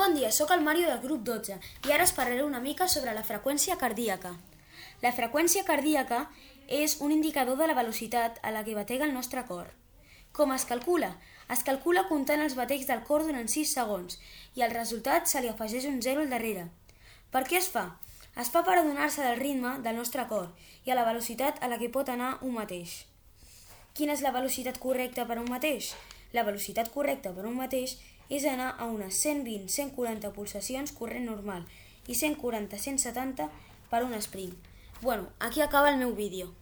Bon dia, sóc el Mario del grup 12 i ara us parlaré una mica sobre la freqüència cardíaca. La freqüència cardíaca és un indicador de la velocitat a la que batega el nostre cor. Com es calcula? Es calcula comptant els batecs del cor durant 6 segons i al resultat se li afegeix un 0 al darrere. Per què es fa? Es fa per adonar-se del ritme del nostre cor i a la velocitat a la que pot anar un mateix. Quina és la velocitat correcta per a un mateix? La velocitat correcta per a un mateix és anar a unes 120-140 pulsacions corrent normal i 140-170 per un sprint. Aquí acaba el meu vídeo.